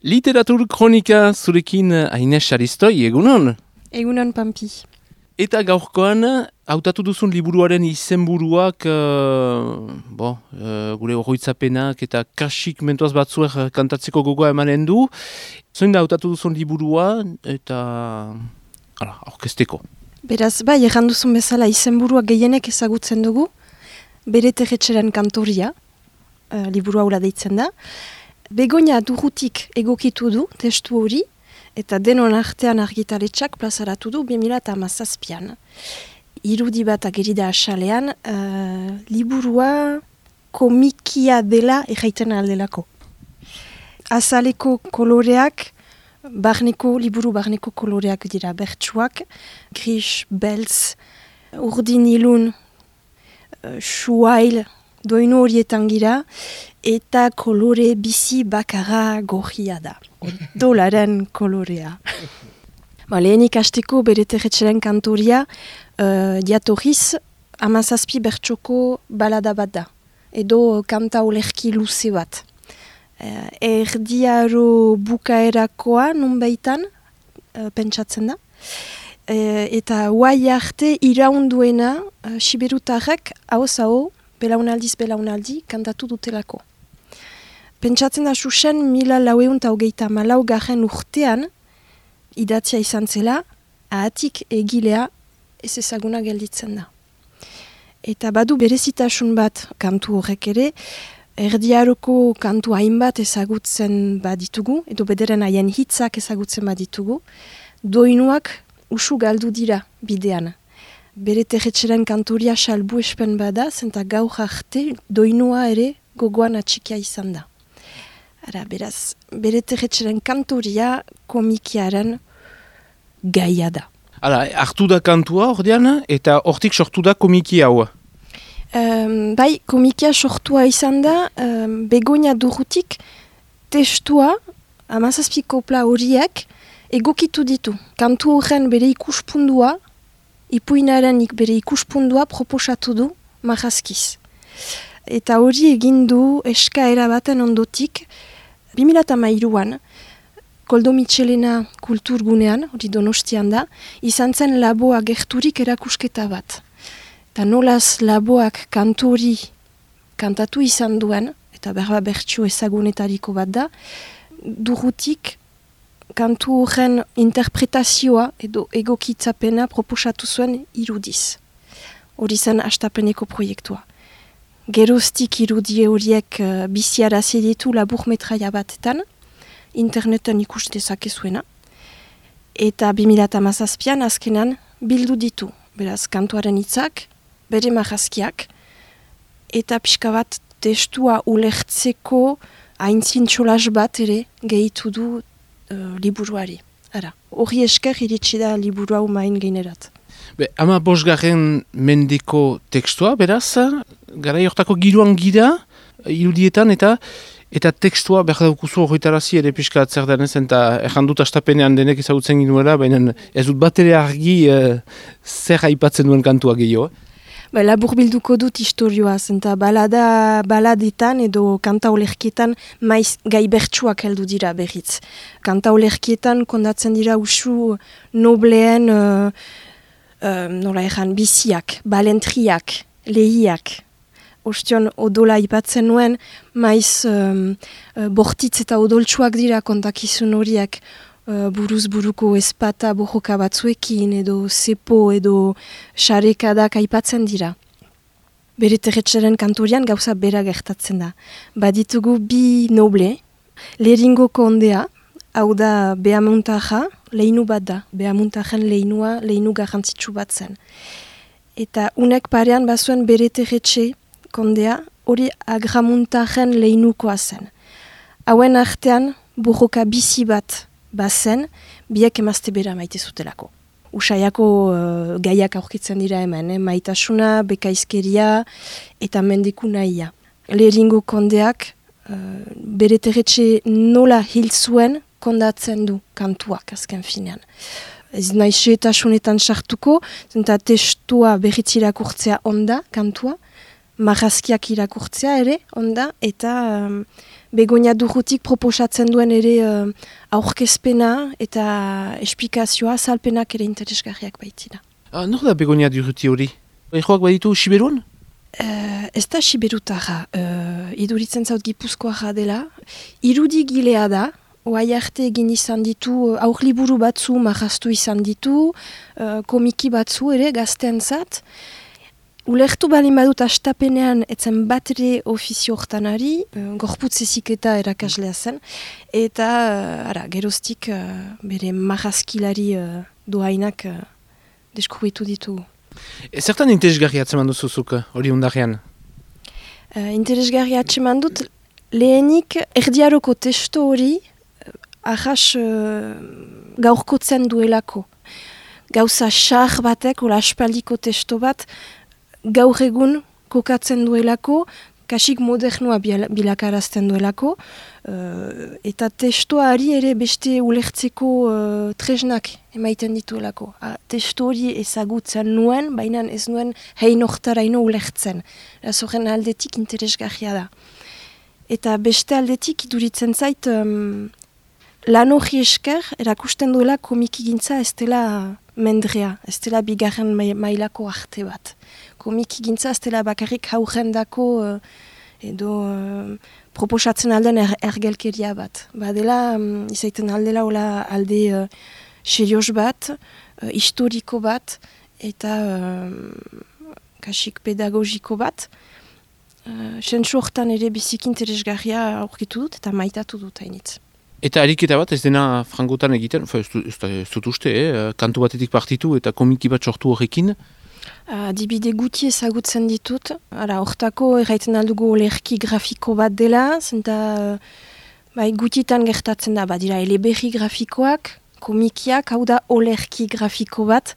Literatur kronika zurekin Aines Aristoi, egunon? Egunon, Pampi. Eta gaurkoan, hautatu duzun liburuaren izenburuak, gure oroitzapenak eta kasik mentuaz batzuek kantatzeko gogoa emanen du. Zoin da hautatu duzun liburua eta aurkezteko. Beraz, bai, erran duzun bezala izenburua gehienek ezagutzen dugu, Bere Terretxeren kantoria, liburua hura deitzen da. Begoña Durrutik egokitu du testu hori, eta denon artean argitaletxak plazaratu du 2017an. Irudi bat ageri da asalean, liburua komikia dela erraiten aldelako. Azaleko koloreak, liburu barneko koloreak dira bertsuak, gris, beltz, urdin ilun, suail, doinu horietan gira, eta kolore bizi bakarra gorria da. Odolaren kolorea. Lehenik hasteko Bere Terretxeren kantoria diatorriz 17 bertsoko balada bat da. Edo kanta olerki luze bat. Erdiaro bukaerakoa nunbaitan pentsatzen da. Eta guai arte iraunduena siberutarrek hau belaunaldi kantatu dutelako. Pentsatzen da susen 1424 urtean idatzia izan zela, ahatik egilea ez ezaguna gelditzen da. Eta badu berezitasun bat kantu horrek ere, erdiaroko kantu hainbat ezagutzen baditugu, edo bederen haien hitzak ezagutzen baditugu, doinuak usu galdu dira bidean. Bere Terretxeren kantoria salbu espen bada, zenta gaur arte doinua ere gogoan atxikia izan da. Beraz, Bere Terretxeren kantoria komikiaren gaia da. Hartu da kantua ordean, eta hortik sortu da komiki hau. Bai, komikia sortua izan da, Begoña Durrutik testua, 17 kopla horiek, egokitu ditu. Kantu horren bere ikuspundua, ipuinaren bere ikuspundua proposatu du marrazkiz. Eta hori egin du eskaera baten ondotik, 2013an, Koldo Mitxelena kulturgunean, hori Donostian da, izan zen laboa gerturik erakusketa bat. Eta nolaz laboak kantu hori kantatu izan duen, eta berba bertsu ezagunetariko bat da, Durrutik kantu horren interpretazioa edo egokitzapena proposatu zuen irudiz. Hori zen hastapeneko proiektua. Geroztik irudie horiek biziarazi ditu laburmetraia batetan, interneten ikus dezakezuena. Eta 2017an azkenan bildu ditu. Beraz, kantuaren hitzak, bere marrazkiak, eta pixka bat testua ulertzeko aintzin txolas bat ere gehitu du liburuari. Hori esker iritsi da liburu hau main gainerat. 15. mendeko tekstua, beraz, garai hortako giroan gira, irudietan, eta tekstua behar daukuzu horretarazi ere pixka zer denez, eta errandut astapenean denek ezagutzen ginuela, baina ez dut bat ere argi zer aipatzen duen kantua gehiago. Labur bilduko dut historioa, zenta baladetan edo kanta olerkietan maiz gai bertsuak heldu dira berriz. Kanta olerkietan kondatzen dira usu nobleen biziak, balentriak, lehiak. Ostion odola ipatzen nuen, maiz bortitz eta odoltsuak dira kontakizun horiek, buruz buruko ezpata bojoka batzuekin edo zepo edo xarekadak aipatzen dira. Bere Terretxeren kantorian gauza bera gertatzen da. Baditugu bi noble, Leringo kondea, hau da Beamuntaja, leinu bat da. Beamuntajen leinu garrantzitsu bat zen. Eta unek parean bazuen Bere Terretxe kondea, hori Agramuntajen leinukoa zen. Hauen artean bojoka bizi bat bazen, biak emazte bera maite zutelako. Usaiako gaiak aurkitzen dira hemen, maitasuna, bekaizkeria eta mendiku nahia. Leringo kondeak Bere Terretxe nola hil zuen kondatzen du kantuak azken finean. Ez nahi xeetasunetan sartuko, zenta testua berriz irakurtzea onda kantua, marrazkiak irakurtzea ere, onda, eta Begoña Durrutik proposatzen duen ere aurkezpena eta esplikazioa, salpenak ere interesgarriak baitira. Nor da Begoña Durruti hori? Joak baditu Siberuan? Ez da Siberutara, iduritzen zaut Gipuzkoara dela. Irudigilea da, oai arte egin izan ditu, aurliburu batzu marraztu izan ditu, komiki batzu ere gazteentzat. Ulertu balin badut astapenean etzen bat ere ofizio hortanari, gorputz eziketa erakaslea zen, eta geroztik bere marrazkilari doainak deskubritu ditugu. Zertan interesgarri atzeman duzuzuk hori undarrean? Interesgarri atzeman dut, lehenik erdiaroko testo hori ahas gaurkotzen duelako. Gauza xar batek, ola aspaldiko testo bat, gaur egun kokatzen duelako, kasik modernoa bilakarazten duelako, eta testoari ere beste ulertzeko tresnak emaiten dituelako. Testo hori ezagutzen nuen, baina ez nuen hein hortaraino ulertzen. Horren aldetik interesgarria da. Eta beste aldetik iduritzen zait, lan hori esker, erakusten duela komikigintza ez dela mendrea, ez dela bigarren mailako arte bat. Komikigintza ez dela bakarrik haurrendako edo proposatzen alden ergelkeria bat. Badela, izaiten aldela hola alde serioz bat, historiko bat, eta kasik pedagogiko bat. Sentsu hortan ere biziki interesgarria aurkitu dut eta maitatu dut hainitz. Eta ariketa bat ez dena frangotan egiten, ez dut uste, kantu batetik partitu eta komiki bat sortu horrekin? Adibide guti ezagutzen ditut. Hortako erraiten aldugu olerki grafiko bat dela, zenta gutitan gertatzen da, badira eleberri grafikoak, komikiak, hau da olerki grafiko bat,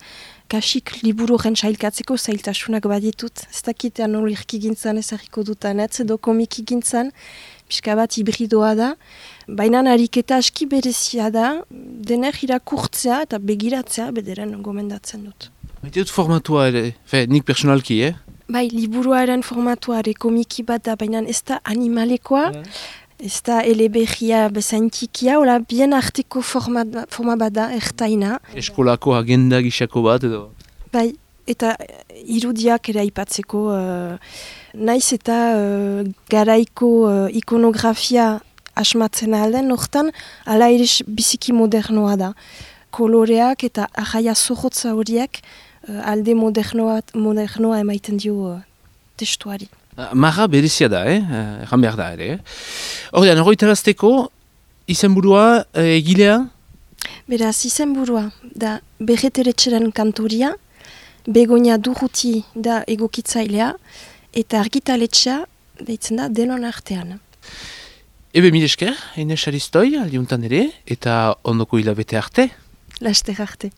kasik liburu horren sailkatzeko zailtasunak baditut. Ez dakitean olerki gintzan ezarriko dutanetz, edo komiki gintzan, pixka bat hibridoa da. Baina ariketa aski berezia da, dener irakurtzea eta begiratzea bederen gomendatzen dut. Baite dut formatua ere, nik personalki, Bai, liburuaren formatua ere komiki bat da, baina ez da animalekoa, ez da eleberria bezaintikia, hola bien arteko forma bat da, ertaina. Eskolako agenda gisako bat edo? Bai, eta irudiak ere aipatzeko, naiz eta garaiko ikonografia asmatzen alden, hortan, ala ere biziki modernoa da. Koloreak eta arraia zorrotza horiek alde modernoa emaiten dio testuari. Marra berezia da, erran behar da ere. Horrean, horretarazteko, izenburua egilea? Beraz, izenburua da Berreteretxeren kantoria, Begoña Durruti da egokitzailea, eta argitaletxea deitzen da denon artean. Ebe mil esker, Ines Aristoi, aldiuntan ere, eta ondoko hilabete arte. Laster arte.